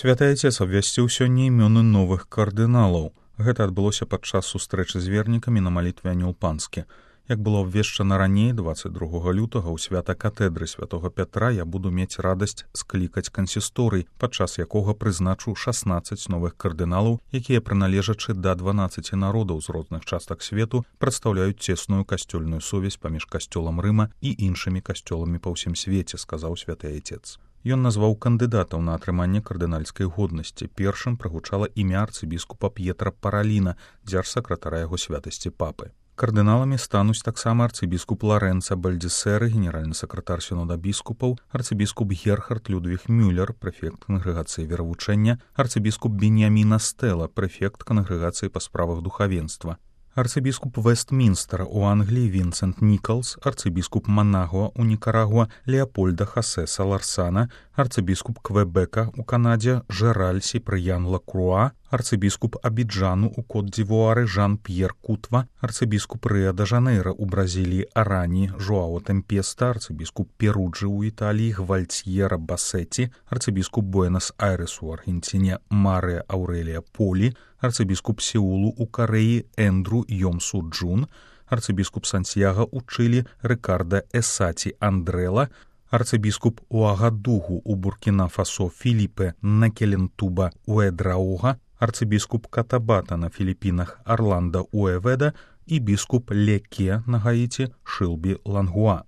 Святы Отец абвясціў сёння імёны новых кардыналаў. Гэта адбылося падчас сустрэчы з вернікамі на малітве Анёл Панскі. Як было абвешчана раней, 22 лютага ў свята катедры святого Пятра я буду мець радасць склікаць кансісторый, падчас якога прызначу 16 новых кардыналаў, якія, прыналежачы да 12 народаў з розных частак свету, прадстаўляюць цесную касцёльную сувязь паміж касцёлам Рыма і іншымі касцёламі па ўсім свеце, сказаў святы Отец. Ён назваў кандыдатаў на атрыманне кардынальскай годнасці. Першым прагучала імя арцыбіскупа П'етра Параліна, дзяржсакратара яго святасці папы. Кардыналамі стануць таксама арцыбіскуп Ларэнца Бальдзесеры, генеральны сакратар сінода біскупаў, арцыбіскуп Герхард Людвіг Мюллер, прэфект кангрэгацыі веравучэння, арцыбіскуп Беньямін Астэла, прэфект кангрэгацыі па справах духавенства, арцыбіскуп Вестмінстера ў Англіі Вінсент Нікалс, арцыбіскуп Манагуа ў Нікарагуа Леапольда Хосе Саларсана, арцыбіскуп Квебека ў Канадзе Жераль Сіпрыян Лакруа, арцыбіскуп Абіджану ў Кот-дзівуары Жан-П'ер Кутва, арцыбіскуп Рыа-де-Жанейра ў Бразіліі Арані Жоао Тэмпеста, арцыбіскуп Перуджы ў Італіі Гвальцьера Басеці, арцыбіскуп Буэнас-Айрэсу ў Аргенціне Марыя Аўрэлія Полі, арцыбіскуп Сеулу ў Карэі Эндру Йомсу Джун, арцыбіскуп Сантьяга ў Чылі Рыкарда Эсаці Андрэла, арцыбіскуп Уагадугу ў Буркіна-Фасо Філіпе Накелентуба Уэдрауга, арцыбіскуп Катабата на Філіпінах Арланда Уэведа і біскуп Леке на Гаіці Шылбі Лангуа.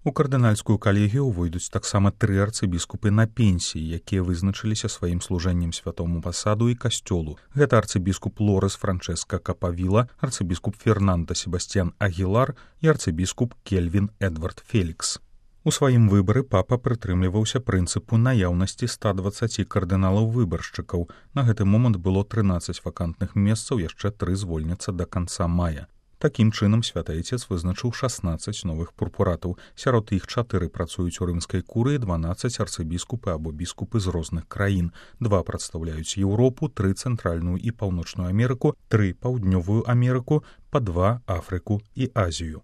У кардынальскую калегію увойдуць таксама 3 арцыбіскупы на пенсіі, якія вызначыліся сваім служэннем святому пасаду і касцёлу. Гэта арцыбіскуп Лорес Франческа Капавіла, арцыбіскуп Фернандо Себастьян Агілар і арцыбіскуп Кельвін Эдвард Фелікс. У сваім выбары папа прытрымліваўся прынцыпу наяўнасці 120 кардыналаў-выбаршчыкаў. На гэты момант было 13 вакантных месцаў, яшчэ 3 звольняцца да канца мая. Такім чынам святы Отец вызначыў 16 новых пурпуратаў. Сярод іх 4 працуюць у рымскай курыі, 12 арцыбіскупы або біскупы з розных краін. 2 прадстаўляюць Еўропу, 3 цэнтральную і паўночную Амерыку, 3 паўднёвую Амерыку, па 2 Афрыку і Азію.